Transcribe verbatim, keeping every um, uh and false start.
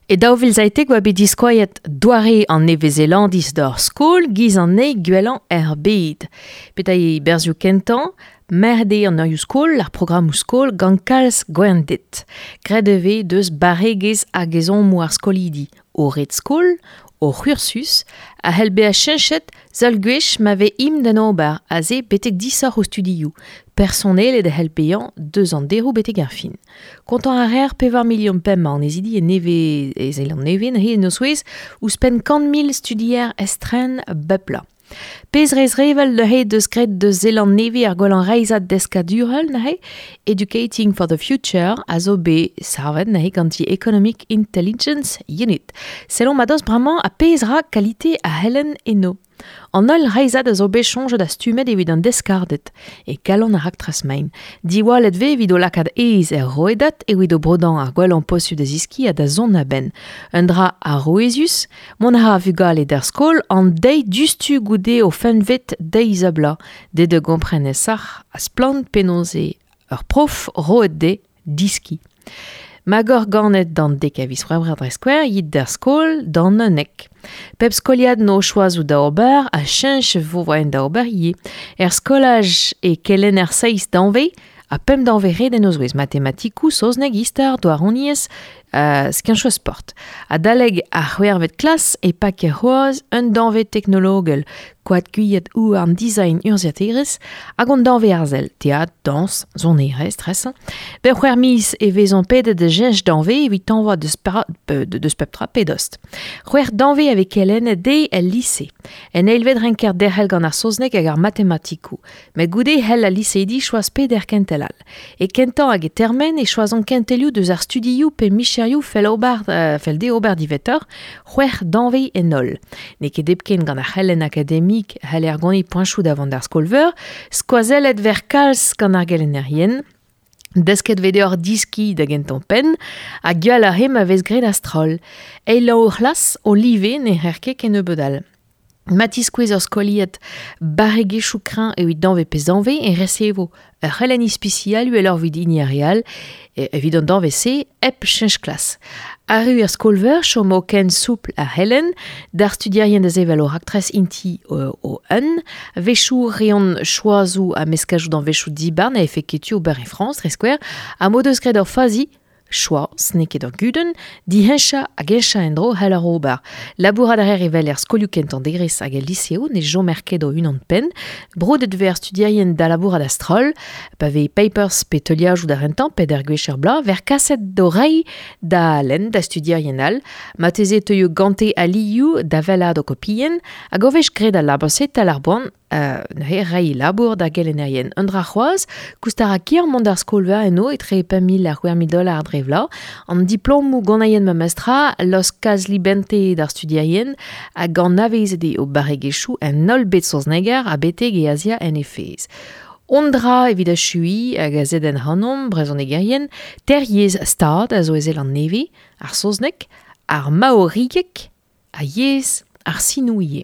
E daou vil seitek oa bet diskoaiet doare an Nevez-Zelandiz d'ur skol giz an nei gwellañ er bed. Peta e berzhioù kentañ, merde an eurioù skol, ar programmoù skol gant kalz gwended. Graet e vez deus barregezh hag ezhommoù ar skolidi, o red skol, o c'hursus, a c'hell bezañ cheñchet seul gwech ma vez im d'an ober, aze betek disoc'h o studioù. Personelet a c'hell bezañ deus an deroù betek ar fin. Kontañ a reer pevar milion pemp annezidi e nevez e Zeland-Nevez neuze en o zouez ouzhpenn kant mil studier estren bep bloaz. Pezh rezrevel neuze deus graet deus Zeland-Nevez ar gwellañ reizhad deskadurel neuze, Educating for the Future a zo bet savet neuze gant the Economic Intelligence Unit. Sellomp a-dost bremañ a pezh ra kalite a c'helenn eno. An holl reizhad a zo bet soñjet ha stummet evit an deskarded, e kalon ar raktres main. Diwallet vez evit o lakaat aes er rouedad evit o brodañ ar gwellañ posupl da zeskiñ ha da zont a-benn. Un dra arouezus, mont a ra vugale d'ar skol an deiz diouzhtu goude o fempvet deiz a bloaz, dezhe da gompren aesoc'h ha splann penaos eo ur prof roet dezhe diskiñ. Magor ganet d'an dek a viz C'hwevrer dre skouer, yit d'ar skol d'an unnek. Pep skoliad no choazoù da ober a cheñch vo voaien da ober ivez. Er skolaj e kelenner seizh danvez ha pemp danvez ret en o zouez matematikoù, saozneg, istor, douaroniezh, euh, skianchoù sport. Adalek ar c'hwec'hvet klas e pak c'hoazh un danvez teknologel, koad gwiad houarn design urzhiataerezh hag an danvez arzel, teatr, dañs, sonerezh, tresañ. Bep c'hwec'h miz e vezont pedet da cheñch danvez evit tañva deus para-, pe, de, deus pep tra pe dost. C'hwec'h danvez a vez kelennet dezhe el lise. En eilvet renker derc'hel gant ar saozneg hag ar matematikoù. Met goude c'hell al liseidi choaz peder kentel all. E kentañ hag e termen e choazont kentelioù deus ar studioù pe micherioù fell ober, euh, fell dezhe ober diwezhatoc'h, c'hwec'h danvez en holl. N'eo ket hepken gant ar c'helenn akademik c'haller gonit poenchoù da vont d'ar skol-veur, skoazellet ver kalz gant ar gelennerien, desket vez deoc'h diskiñ da gentañ penn, ha gwell ar re ma vez graet a-stroll. Eil ur c'hlas o live ne c'her ket kennebeut all. Ma tiskouez ur skoliad barregezhioù kreñv evit danvez pe zanvez e resevo ur c'helenn ispisial uheloc'h evit hini ar re all, e, evit an danvez-se hep cheñch klas. Arru er skol-veur chomo ken soupl ar c'helenn, d'ar studierien da sevel o raktres inti o, o un, wechoù reont choazoù ha meskajoù danvezioù dibar na efe ket tu ober e Frañs, dre skouer, ha m'o deus graet ur fazi, choaz, n'eo ket ur gudenn, diheñchañ hag heñchañ en-dro c'hell ar ober. Labourat a reer evel er skolioù kentañ derez hag el liseoù ne chomer ket o unan penn, broudet vez ar studierien da labourat a-stroll, pa vez papers pe teuliajoù da rentañ pe d'ar gwech er bloaz, ver kaset d'o reiñ da lenn da studierien all, marteze teuio gante alioù da wellaat o kopien, hag o wech graet al labour-se tal ar boan, euh, neuze reiñ labour da gelennerien. Un dra c'hoazh, koust a ra ker mont d'ar skol-veur eno etre pemp mil ha c'hwec'h mil dollars dre vloaz. An diplomoù ganaien ma mestra, los kalz libente d'ar studierien hag anavezet eo o barregezhioù en holl bed saozneger ha betek e Azia en he fezh. On dra evit achuiñ hag a zedenn ac'hanomp brezhonegerien, teir yezh stad a zo e Zeland-Nevez, ar saozneg, ar maorigeg ha yezh ar sinoù ivez.